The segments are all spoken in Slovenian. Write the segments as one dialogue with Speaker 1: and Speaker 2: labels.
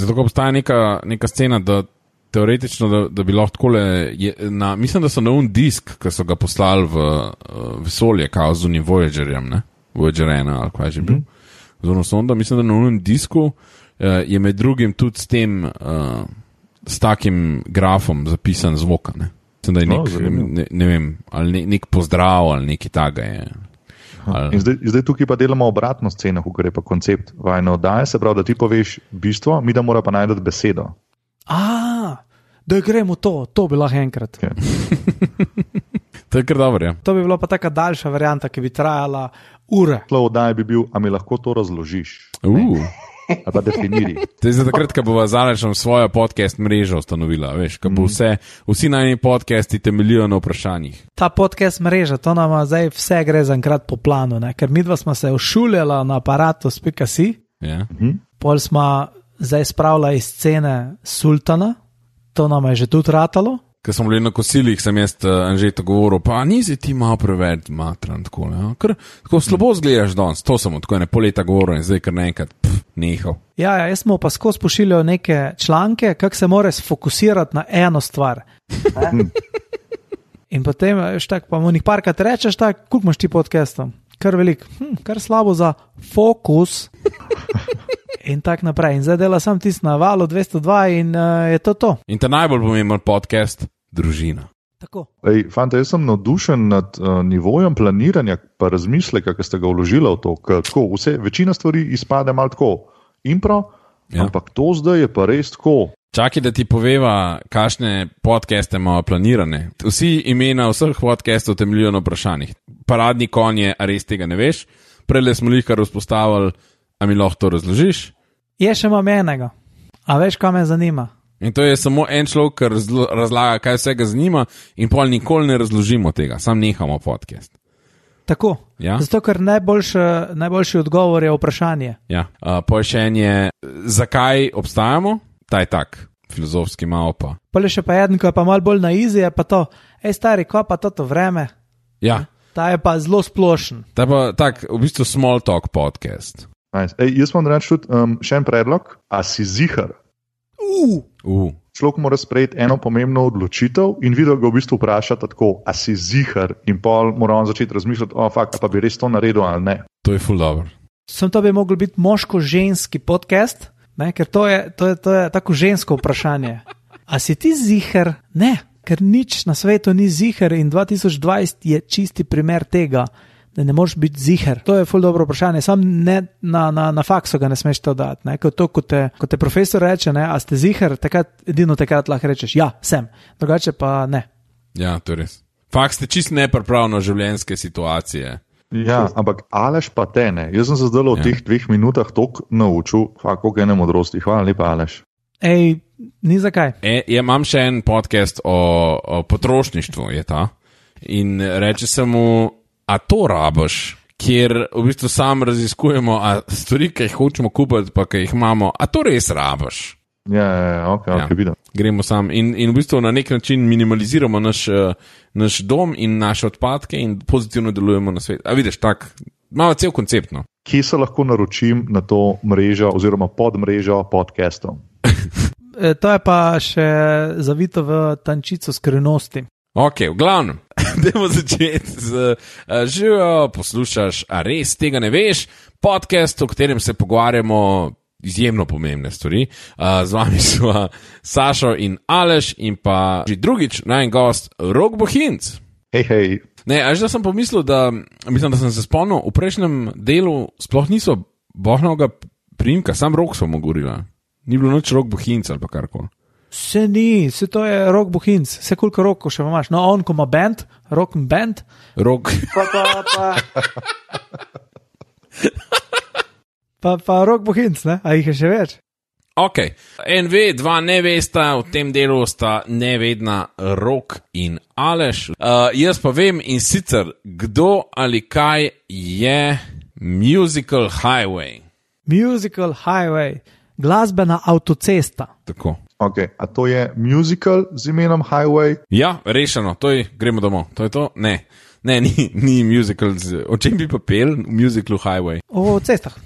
Speaker 1: Zato, ko obstaja neka scena, da teoretično, da bi lahko takole, mislim, da so na disk, ki so ga poslali v vesolje, kao z unim Voyagerjem, ne? Voyager 1 ali kaj že bil. Zorno sonda, mislim, da na unim disku je med drugim tudi s takim grafom zapisan zvok, ne? Mislim, da je ne vem, ali nek pozdrav ali neki taga je.
Speaker 2: In zdaj tukaj pa delamo obratno sceno, ko gre pa koncept vajne oddaje, se pravi, da ti poveš bistvo, mi da mora pa najti besedo.
Speaker 3: Da gremo to bi lahko enkrat.
Speaker 2: Okay.
Speaker 1: To je kar dobro, ja.
Speaker 3: To bi bila pa taka daljša varianta, ki bi trajala ure.
Speaker 2: Tlo oddaje bi bil, a mi lahko to razložiš? Ali pa definiri.
Speaker 1: To je za takrat, ko bova Alešem svojo podcast mrežo ustanovila, veš, ko bo vsi najni podcasti temeljijo na vprašanjih.
Speaker 3: Ta podcast mreža, to nama zdaj vse gre za enkrat po planu, ne? Ker midva smo se ušuljala na aparatus.si, pol smo zdaj spravila iz scene Sultana, to nama je že tudi ratalo.
Speaker 1: Ko smo bili na kosilih, sem jaz Anžeto govoril, pa nisi ti malo preveč matran, tako, ne? Ker tako slabo zgledaš danes, to sem tako pol leta govoril in zdaj kar naenkrat nehal.
Speaker 3: Ja, jaz smo pa skozi pošiljali neke članke, kako se mora sfokusirati na eno stvar. In potem, štak, pa mu njih parkrat rečeš, tak, koliko imaš ti podcastov? Kar velik, kar slabo za fokus. In tak naprej. In zdaj dela sam tisti na valu 202 in je to.
Speaker 1: In ta najbolj pomemben podcast, družina.
Speaker 3: Tako.
Speaker 2: Ej, fante, jaz sem navdušen nad nivojem planiranja pa razmisleka, ki ste ga vložili v to, ker tako, večina stvari izpade malo tako impro, ampak to zdaj je pa res tako.
Speaker 1: Čakaj, da ti poveva, kakšne podcaste imamo planirane. Vsi imena vseh podcastov temeljijo na vprašanjih. Paradni konj je, a res tega ne veš? Prele smo jih kar vzpostavili, a mi lahko to razložiš?
Speaker 3: Je še imam enega. A veš, kaj me zanima?
Speaker 1: In to je samo en človek, ki razlaga, kaj vsega zanima in pol nikoli ne razložimo tega. Sam nehamo podcast.
Speaker 3: Tako.
Speaker 1: Ja?
Speaker 3: Zato, ker najboljši odgovor je vprašanje.
Speaker 1: Ja. Pošenje, zakaj obstajamo? Ta je tak, filozofski malo pa.
Speaker 3: Pole še pa eden, ko je pa malo bolj na izi, je pa to, stari, ko pa to vreme?
Speaker 1: Ja.
Speaker 3: Ta je pa zelo splošen.
Speaker 1: Ta pa tak, v bistvu small talk podcast.
Speaker 2: Nice. Jaz vam reči tudi še en predlog, a si zihar? Človek mora sprejeti eno pomembno odločitev in videl ga v bistvu vprašati tako, a si zihar, in pol mora on začeti razmišljati, fakt, pa bi res to naredil ali ne.
Speaker 1: To je ful dobro.
Speaker 3: To bi mogel biti moško-ženski podcast, ne? Ker to je tako žensko vprašanje. A si ti zihar? Ne, ker nič na svetu ni zihar in 2020 je čisti primer tega, da ne moreš biti zihar. To je ful dobro vprašanje, sam ne na faksu ga ne smeš to dati. Ne? Ko te profesor reče, ne, a ste zihar, edino takrat lahko rečeš, ja, sem, drugače pa ne.
Speaker 1: Ja, to je res. Faks ste čist nepripravno življenjske situacije.
Speaker 2: Ja, ampak Aleš pa te ne. Jaz sem se zdaj v teh 2 minutah toliko naučil, koliko ene modrosti. Hvala lepa, Aleš.
Speaker 3: Ni zakaj.
Speaker 1: Imam še en podcast o potrošništvu, je ta. In reče se mu, a to rabiš, kjer v bistvu sam raziskujemo, a stvari, ki jih hočemo kupiti, pa ki jih imamo, a to res rabiš.
Speaker 2: Ja, ok, vidim.
Speaker 1: Gremo sam in v bistvu na nek način minimaliziramo naš dom in naše odpadke in pozitivno delujemo na svet. A vidiš, tak, malo cel koncept, no.
Speaker 2: Kje se lahko naročim na to mrežo oziroma podmrežo podcastov?
Speaker 3: To je pa še zavito v tančico skrivnosti.
Speaker 1: Ok, v glavnem, dajmo začeti z živijo, poslušaš, a res tega ne veš, podcast, o katerem se pogovarjamo izjemno pomembne stvari. Z vami so Sašo in Aleš in pa že drugič najen gost Rok Bohinc.
Speaker 2: Hej.
Speaker 1: Ne, až da sem pomislil, mislim, da sem se spomnil, v prejšnjem delu sploh niso bohnovega priimka, sam Rok so mu govorila. Ni bilo nič Rok Bohinc ali pa karkoli.
Speaker 3: Se to je Rok Bohinc, se koliko Roko še imaš. No, on ko ima band, Rok band.
Speaker 1: Rok.
Speaker 3: Pa Rok Bohinc, ne? A jih je še več?
Speaker 1: Ok, en ve, dva ne vesta, v tem delu sta nevedna Rok in Aleš. Jaz pa vem in sicer, kdo ali kaj je Musical Highway.
Speaker 3: Musical Highway, glasbena avtocesta.
Speaker 1: Tako.
Speaker 2: Ok, a to je musical z imenom Highway?
Speaker 1: Ja, rešeno, gremo domov, to je to? Ne, ni musical, o čem bi pa pel v Musicalu Highway?
Speaker 3: O cestah.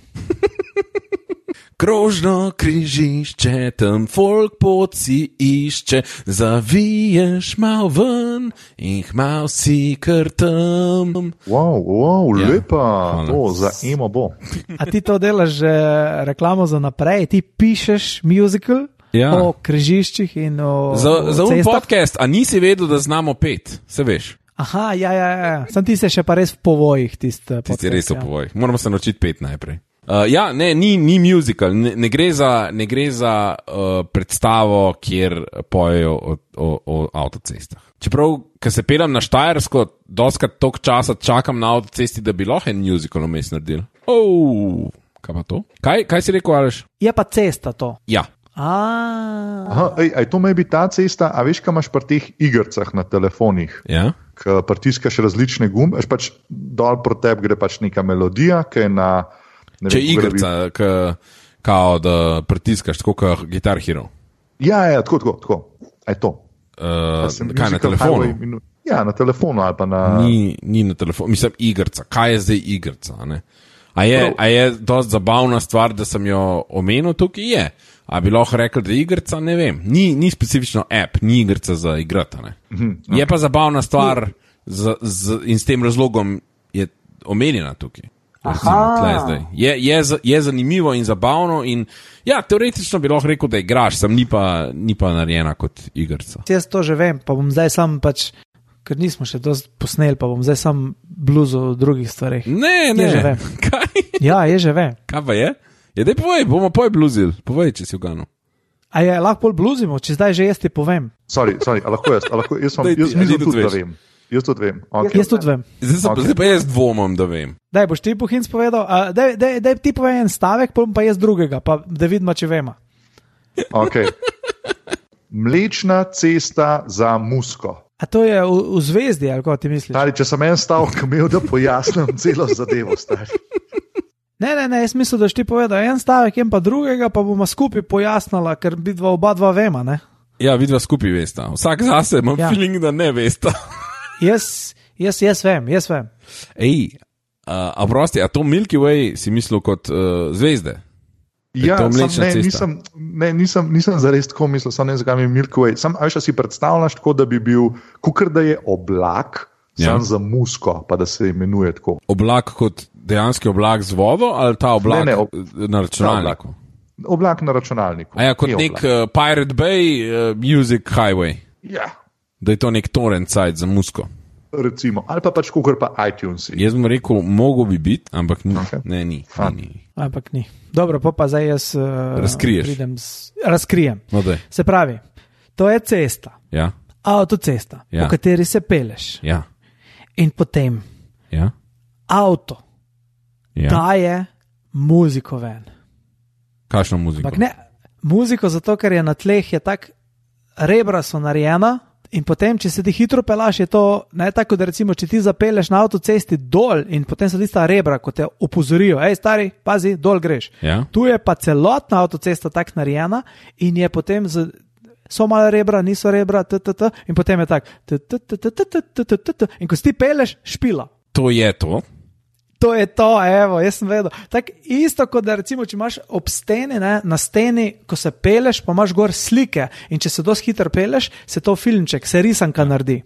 Speaker 1: Krožno križišče, tam folk pot si išče, zaviješ mal ven in mal si kar tam.
Speaker 2: Wow, lepa, za emo bo.
Speaker 3: A ti to delaš že reklamo za naprej, ti pišeš musical o križiščih in o
Speaker 1: za podcast, a nisi vedel, da znamo pet, se veš?
Speaker 3: Aha, ja, sam ti se še pa res v povojih tiste podcast.
Speaker 1: Ti si res v povojih, moramo se naučiti pet najprej. Ni musical, ne gre za predstavo, kjer pojejo o avtocestah. Čeprav, ko se peljem na Štajersko, doskrat toliko časa čakam na avtocesti, da bi lahko en musical vmes naredil. Kaj pa to? Kaj si rekel, Aleš?
Speaker 3: Je pa cesta to.
Speaker 1: Ja.
Speaker 2: To may bi ta cesta, a veš, kaj imaš pri teh igrcah na telefonih?
Speaker 1: Ja.
Speaker 2: Ko pritiskaš različne gumbe, pač dol proti tebi gre pač neka melodija, ki je na...
Speaker 1: Če je igrica, kao da pritiskaš, tako kot Guitar Hero.
Speaker 2: Ja, tako. A je to?
Speaker 1: Kaj na telefonu?
Speaker 2: Ja, na telefonu ali pa na...
Speaker 1: Ni na telefonu, mislim igrica. Kaj je zdaj igrica? Ne? A je dosti zabavna stvar, da sem jo omenil tukaj? Je. A bi lahko rekel, da je igrica? Ne vem. Ni specifično app, ni igrica za igrata. Okay. Je pa zabavna stvar in s tem razlogom je omenjena tukaj. Je zanimivo in zabavno in ja, teoretično bi lahko rekel, da igraš, sem ni pa narejena kot igrica.
Speaker 3: Jaz to že vem, pa bom zdaj sam pač, ker nismo še dosti posneli, pa bom zdaj sam bluzil o drugih stvarih.
Speaker 1: Ne.
Speaker 3: Že vem.
Speaker 1: Kaj?
Speaker 3: Ja, je že vem.
Speaker 1: Kaj pa je? Daj povej, bomo bluzil. Povej, če si vgano.
Speaker 3: A je lahko bluzimo, če zdaj že jaz ti povem.
Speaker 2: Sorry, lahko jaz mislim tudi, da vem. Jaz tudi vem. Okay.
Speaker 3: Jaz tudi vem.
Speaker 1: Zdaj pa jaz dvomim, da vem.
Speaker 3: Daj, boš ti Hinc povedal, daj ti povej en stavek, pa jaz drugega, pa da vidimo, če vemo.
Speaker 2: Ok. Mlečna cesta za Musko.
Speaker 3: A to je v zvezdi, ali kako ti misliš?
Speaker 2: Stari, če sem en stavek imel, da pojasnim celo zadevo, stari.
Speaker 3: Ne, jaz mislim, da ti povedal en stavek, en pa drugega, pa bomo skupaj pojasnila, ker oba dva vema, ne?
Speaker 1: Ja, vidva skupaj vesta. Vsak zase imam feeling, da ne vesta.
Speaker 3: Jaz vem.
Speaker 1: Ej, a prosti, a to Milky Way si mislil kot zvezde?
Speaker 2: Ja, nisem zares tako mislil, sam ne zakaj mi Milky Way. Sam, a veš, si predstavljaš tako, da bi bil, kukor da je oblak, sam za Musko, pa da se imenuje tako.
Speaker 1: Oblak kot dejanski oblak z vodo, ali ta oblak na računalniku?
Speaker 2: Oblak na računalniku.
Speaker 1: A ja, kot nek Pirate Bay Music Highway.
Speaker 2: Ja.
Speaker 1: Da je to nek torrent site za Musko.
Speaker 2: Recimo, ali pa pač kukor pa iTunes.
Speaker 1: Jaz bom rekel, mogo bi biti, ampak ni. Okay. Ni.
Speaker 3: Ampak ni. Dobro, pa zdaj jaz razkrijem.
Speaker 1: No,
Speaker 3: se pravi, to je cesta.
Speaker 1: Ja.
Speaker 3: Avtocesta, po kateri se peleš.
Speaker 1: Ja.
Speaker 3: In potem avto daje muziko ven.
Speaker 1: Kakšno muziko?
Speaker 3: Ampak ne, muziko zato, ker je na tleh, je tak, rebra so narejena in potem, če se ti hitro pelaš, je to ne tako, da recimo, če ti zapeleš na avtocesti dol in potem so tista rebra, ko te opozorijo, stari, pazi, dol greš.
Speaker 1: Ja.
Speaker 3: Tu je pa celotna avtocesta tak narejena in je potem so malo rebra, niso rebra, in potem je tak, in ko si ti peleš, špila.
Speaker 1: To je to?
Speaker 3: To je to, evo, jaz sem vedel. Tako isto, kot da recimo, če imaš ob steni, na steni, ko se peleš, pa imaš gor slike in če se dosti hitro peleš, se to filmček, se risanka naredi.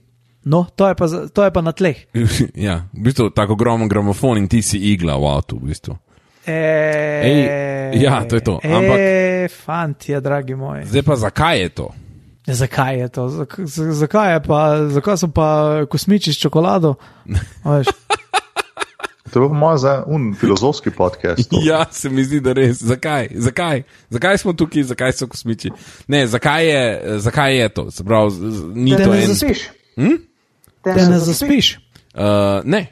Speaker 3: No, to je pa na tleh.
Speaker 1: Ja, v bistvu tako ogromen gramofon in ti si igla v avtu, v bistvu. Ja, to je to. Ampak,
Speaker 3: fantje, dragi moji.
Speaker 1: Zdaj pa zakaj je to?
Speaker 3: Zakaj je to? Zakaj so pa kosmiči s čokolado?
Speaker 2: To je moj za filozofski podcast.
Speaker 1: Ja, se mi zdi, da res. Zakaj? Zakaj smo tukaj, zakaj so kosmiči? Ne, zakaj je to? Se pravi, ni to en...
Speaker 3: Te ne zaspiš?
Speaker 1: Ne.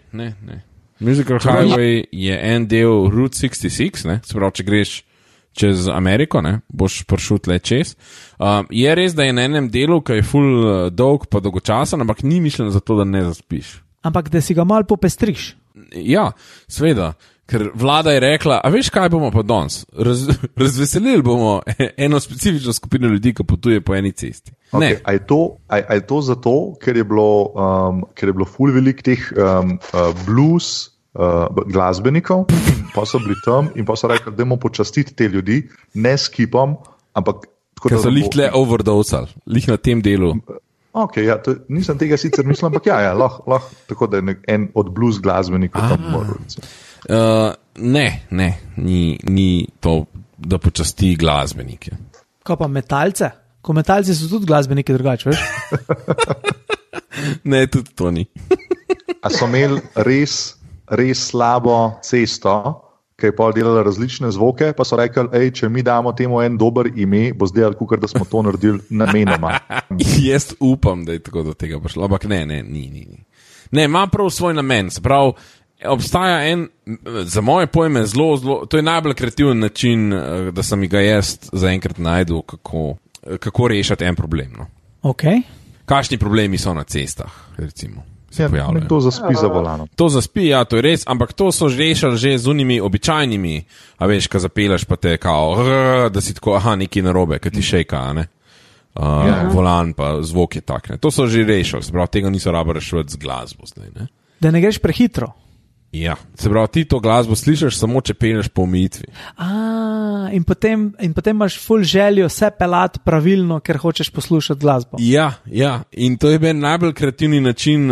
Speaker 1: Musical Highway je en del Route 66, ne? Se pravi, če greš čez Ameriko, ne? Boš prišel tle čez. Je res, da je na enem delu, ki je ful dolg pa dolgočasen, ampak ni mišljeno za to, da ne zaspiš.
Speaker 3: Ampak da si ga malo popestriš.
Speaker 1: Ja, seveda, ker vlada je rekla, a veš kaj bomo pa danes? Razveselili bomo eno specifično skupino ljudi, ki potuje po eni cesti.
Speaker 2: Okay, a je to zato, ker je bilo ful velik teh blues glasbenikov, pa so bili tam in pa so rekli, da moramo počastiti te ljudi, ne s kipom, ampak tako,
Speaker 1: ker so lih tle overdosali, lih na tem delu.
Speaker 2: Okay, ja, nisem tega sicer mislil, ampak lahko, tako da je en od blues glasbenikov tam moral.
Speaker 1: Ne, ni to, da počasti glasbenike.
Speaker 3: Kaj pa metalce? Ko metalci so tudi glasbeniki drugače, veš?
Speaker 1: Ne, tudi to ni.
Speaker 2: A so imeli res slabo cesto, ki je pa delala različne zvoke, pa so rekli, če mi damo temu en dober ime, bo zdaj kot da smo to naredili namenoma.
Speaker 1: Jaz upam, da je tako do tega prišlo, ampak ne, ni. Ne, ima prav svoj namen, se pravi, obstaja en, za moje pojme, zelo, to je najbolj kreativen način, da sem ga jaz zaenkrat najdel, kako rešiti en problem. No.
Speaker 3: Okay.
Speaker 1: Kakšni problemi so na cestah, recimo.
Speaker 2: To zaspi za volanom.
Speaker 1: To zaspi, ja, to je res, ampak to so rešili že z unimi običajnimi, a veš, ko zapeleš pa te kao, da si tako, nekaj narobe, ki ti šejka, ne? Volan pa zvok je tak, ne? To so že rešili, se pravi, tega niso rabo rešiti z glasbo zdaj, ne?
Speaker 3: Da ne greš prehitro.
Speaker 1: Ja, se pravi, ti to glasbo slišiš samo, če peleš po omejitvi.
Speaker 3: In potem imaš ful željo vse pelati pravilno, ker hočeš poslušati glasbo.
Speaker 1: Ja, in to je bil najbolj kreativni način,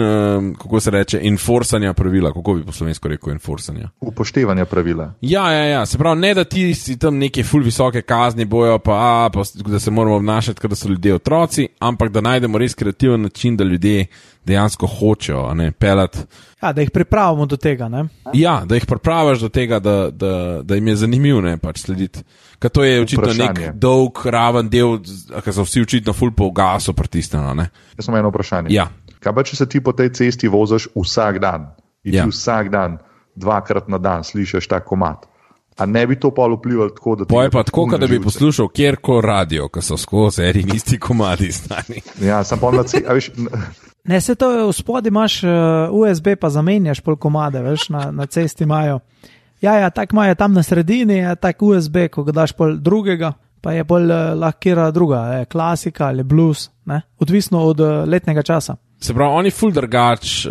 Speaker 1: kako se reče, enforcanja pravila, kako bi po slovensko rekel enforcanja.
Speaker 2: Upoštevanja pravila.
Speaker 1: Ja, se pravi, ne da ti si tam neke ful visoke kazni bojo, pa da se moramo obnašati, kot da so ljudje otroci, ampak da najdemo res kreativen način, da ljudje dejansko hočejo, ne, pelati.
Speaker 3: Ja, da jih pripravimo do tega, ne?
Speaker 1: Ja, da jih pripraviš do tega, da jim je zanimivo, ne, pač slediti. Ker to je očitno nek dolg, raven del, ki so vsi očitno ful po gasu pritisnjeno, ne.
Speaker 2: Jaz sem eno vprašanje.
Speaker 1: Ja.
Speaker 2: Kaj pa, če se ti po tej cesti voziš vsak dan in ti vsak dan, 2krat na dan slišiš ta komad? A ne bi to pa vplivalo tako, da ti...
Speaker 1: Poje pa tako, da bi poslušal kjerkoli radio, ki so skozi eri isti komadi stani.
Speaker 2: Ja, sem pa
Speaker 3: Ne, se to v spodi imaš USB, pa zamenjaš pol komade, veš, na cesti imajo. Ja, tak imajo tam na sredini, je tak USB, ko ga daš pol drugega, pa je pol lahko druga, klasika ali blues, ne, odvisno od letnega časa.
Speaker 1: Se pravi, oni ful drugač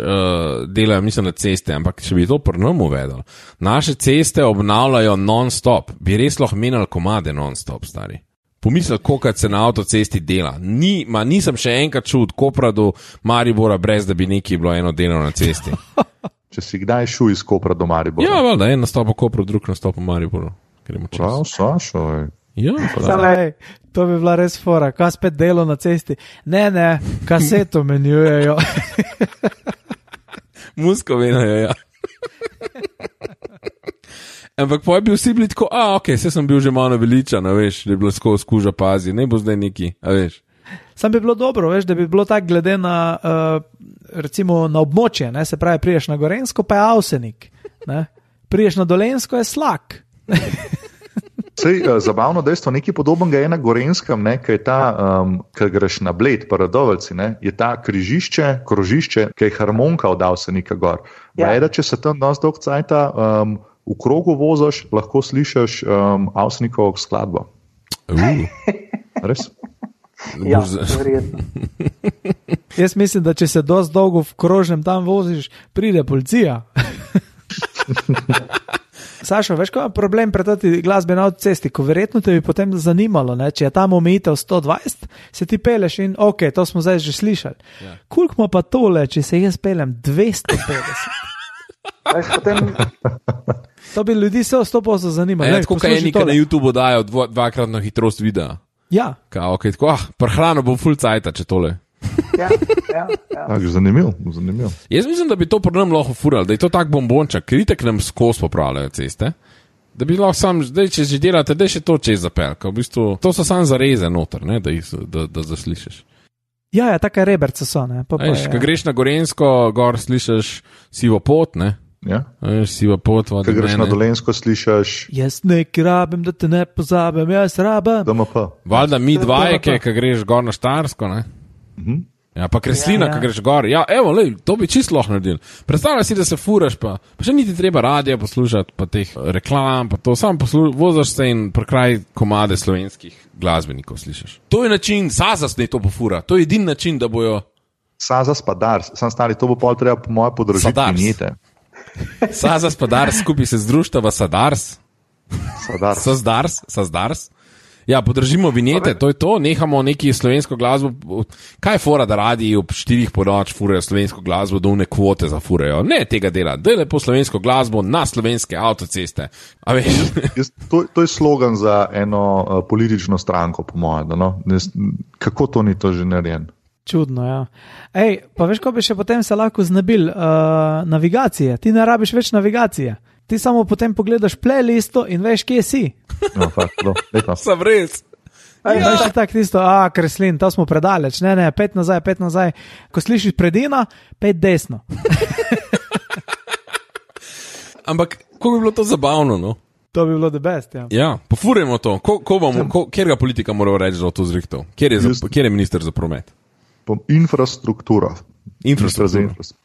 Speaker 1: delajo, mislim, na ceste, ampak če bi to pri nam uvedel, naše ceste obnavljajo non-stop, bi res lahko menjali komade non-stop, stari. Pomislil, koliko se na avtocesti dela. Nisem še enkrat čul od Kopra do Maribora, brez da bi nekaj bilo eno delo na cesti.
Speaker 2: Če si kdaj šel iz Kopra do Maribora?
Speaker 1: Ja, valjda, en nastop v Kopru, drug nastop v Mariboru.
Speaker 2: Prav, Sašo.
Speaker 1: Ja,
Speaker 3: to bi bila res fora. Kaj spet delo na cesti? Ne, kaseto menjujejo.
Speaker 1: Musko menjujejo, ja. Ampak pa je bil vsi bili tako, se sem bil že malo veličan, veš, da je bilo skozi kuža pazi, ne bo zdaj neki, veš.
Speaker 3: Sam bi bilo dobro, veš, da bi bilo tako glede na, recimo, na območje, ne, se pravi, priješ na Gorenjsko, pa je Avsenik, ne, priješ na Dolenjsko, je Slak.
Speaker 2: Sej, zabavno dejstvo, nekaj podobnega je na Gorenskem, ne, ki je ta, ki greš na Bled, pa Radovlci, ne, je ta krožišče, ki je harmonka od Avsenika gor. Ja. Veda, če se tam dosti dolg cajta, v krogu voziš, lahko slišiš Avsenikovo skladbo. Res?
Speaker 4: Ja, verjetno.
Speaker 3: Jaz mislim, da če se dosti dolgo v krožnem tam voziš, pride policija. Sašo, veš, kaj je problem pri toti glasbi na avtocesti, ko verjetno te bi potem zanimalo, ne? Če je tam omejitev 120, se ti peleš in to smo zdaj že slišali. Ja. Koliko ima pa tole, če se jaz pelem 250? To bi ljudi se 100% zanimalo.
Speaker 1: Ja, tako kaj nekaj na YouTube dajo dvakratno hitrost videa.
Speaker 3: Ja.
Speaker 1: Tako, prehrano bom full cajta, če tole.
Speaker 4: Ja.
Speaker 2: Zanimiv.
Speaker 1: Jaz mislim, da bi to pri nam lahko furali, da je to tak bombončak, ker itek nam skozi popravljajo ceste, da bi lahko sam, zdaj, če že delate, da je še to čez zapelka. V bistvu, to so sam zareze noter, ne, da zaslišiš.
Speaker 3: Ja, taka reberca so, ne.
Speaker 1: Ko greš na Gorenjsko, gor slišiš Sivo pot, ne.
Speaker 2: Ja.
Speaker 1: Siva pot,
Speaker 2: ko greš na Dolenjsko, slišiš
Speaker 3: jaz nekaj rabim, da te ne pozabim, jaz rabim.
Speaker 2: DMP.
Speaker 1: Valjda mi dvajke, ko greš gor na Štajersko, ne. Ja, pa Kreslina, ko greš gor. Ja, evo, lej, to bi čisto lahko naredil. Predstavljaj si, da se furaš, pa še niti treba radija poslušati, pa teh reklam, pa to sam vozaš se in prekraj komade slovenskih glasbenikov slišiš. To je način, Sazas ne to pofura, to je edin način, da bojo...
Speaker 2: Sazas pa Dars, sam stari, to bo pol treba po moje podražiti vinjete.
Speaker 1: Sazas pa Dars, skupaj se združtava Sadars. Sazdars. Ja, podržimo vinjete, to je to, nehamo neki slovensko glasbo. Kaj je fora, da radi ob 4 po noč furajo slovensko glasbo, da une kvote zafurajo? Ne tega dela, da je lepo slovensko glasbo na slovenske avtoceste. A veš?
Speaker 2: To je slogan za eno politično stranko, po mojem. No? Kako to ni to že narejen?
Speaker 3: Čudno, ja. Ej, pa veš, ko bi še potem se lahko znabil navigacije. Ti ne rabiš več navigacije. Ti samo potem pogledaš playlisto in veš, kje si.
Speaker 2: No, lepo.
Speaker 1: Sem res.
Speaker 3: Ja. Veš tako tisto, Kreslin, to smo predaleč. Ne, 5 nazaj. Ko slišiš predina, 5 desno.
Speaker 1: Ampak, kako bi bilo to zabavno, no?
Speaker 3: To bi bilo the best, ja.
Speaker 1: Ja, pofurimo to. Kjerga politika mora reči, da to zrihtal? Kjer je minister za promet?
Speaker 2: Infrastruktura.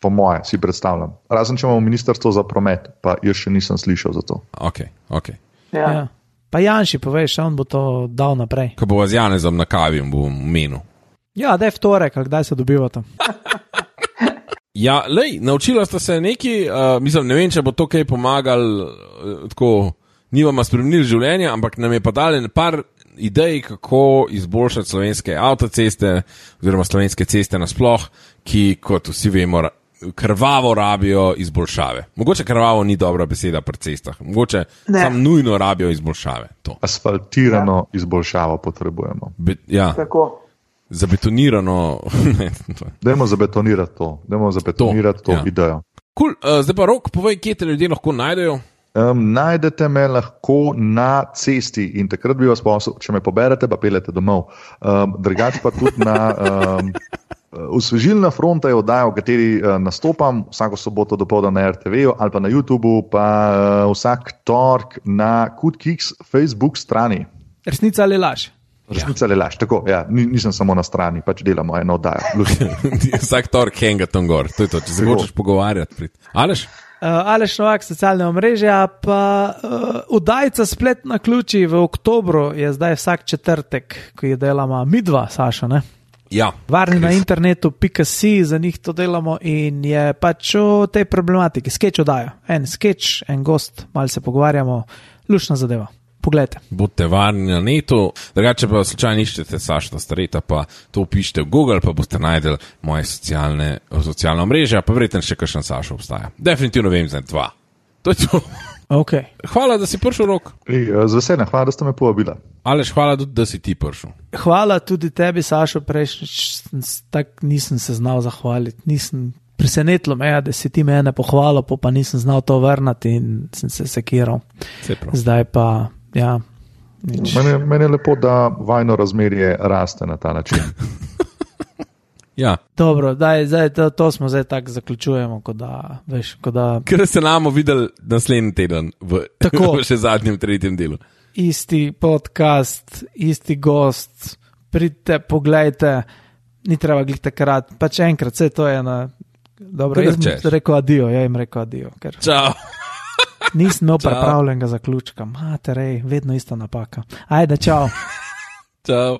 Speaker 2: Po moje, si predstavljam. Razen, če imamo ministrstvo za promet, pa jaz še nisem slišal za to.
Speaker 1: Ok.
Speaker 3: Ja. Pa Janši, poveš, on bo to dal naprej.
Speaker 1: Ko bo z Janezom na kavi, bo menil.
Speaker 3: Ja, da je vtorek, ali kdaj se dobivata.
Speaker 1: Ja, naučila sta se neki, mislim, ne vem, če bo to kaj pomagal, tako, ni vama spremenili življenja, ampak nam je pa dali par idej, kako izboljšati slovenske avtoceste oziroma slovenske ceste nasploh, ki, kot vsi vemo, krvavo rabijo izboljšave. Mogoče krvavo ni dobra beseda pri cestah, mogoče sam nujno rabijo izboljšave. To.
Speaker 2: Asfaltirano izboljšavo potrebujemo.
Speaker 1: Ja.
Speaker 4: Tako.
Speaker 1: Zabetonirano.
Speaker 2: Dajmo zabetonirati to idejo.
Speaker 1: Cool. Zdaj pa Rok, povej, kje te ljudje lahko najdejo?
Speaker 2: Najdete me lahko na cesti in takrat bi vas prosil, če me poberete, pa peljete domov. Drugače pa tudi na Osvežilna fronta je oddaja, v kateri nastopam vsako soboto dopoldan na RTV-ju ali pa na YouTubu, pa vsak tork na KutKiks Facebook strani.
Speaker 3: Resnica ali laž?
Speaker 2: Resnica ali laž, tako, ja, nisem samo na strani, pač delamo eno oddajo.
Speaker 1: Vsak tork henga tam gor, to je to, če se hočeš pogovarjati. Aleš?
Speaker 3: Aleš Novak, socialne omrežja, pa Udajca splet na ključi v oktobru je zdaj vsak četrtek, ko je delamo midva, Saša, ne?
Speaker 1: Ja.
Speaker 3: Varni na internetu.si, za njih to delamo in je pač o tej problematiki. Skeč oddaja, en skeč, en gost, malo se pogovarjamo, lušna zadeva. Poglejte.
Speaker 1: Budite varni na netu, drugače pa slučajno iščete Saša Stareta, pa to upišite v Google, pa boste najdeli moje socialne omrežja, pa verjetno še kakšen Saša obstaja. Definitivno vem za 2. To je to.
Speaker 3: Okay.
Speaker 1: Hvala, da si prišel, Rok.
Speaker 2: Z veseljem, hvala, da ste me povabila.
Speaker 1: Aleš, hvala tudi, da si ti prišel.
Speaker 3: Hvala tudi tebi, Sašo, prejšnjič, tako nisem se znal zahvaliti, presenetilo me, da si ti mene pohvalil, pa nisem znal to vrnati in sem se sekiral. Zdaj pa, ja.
Speaker 2: Meni je lepo, da vajno razmerje raste na ta način.
Speaker 1: Ja.
Speaker 3: Dobro, zdaj to smo zdaj tako zaključujemo, kot da...
Speaker 1: Ker se namo videli naslednji teden v še zadnjem, 3. delu.
Speaker 3: Isti podcast, isti gost, pridite, poglejte, ni treba glih takrat, pač enkrat, vse to je na... Dobro, jaz sem rekel adijo, ker...
Speaker 1: Čau.
Speaker 3: Nisem imel pripravljenega zaključka. Materej, vedno ista napaka. Ajde, čau.
Speaker 1: Čau.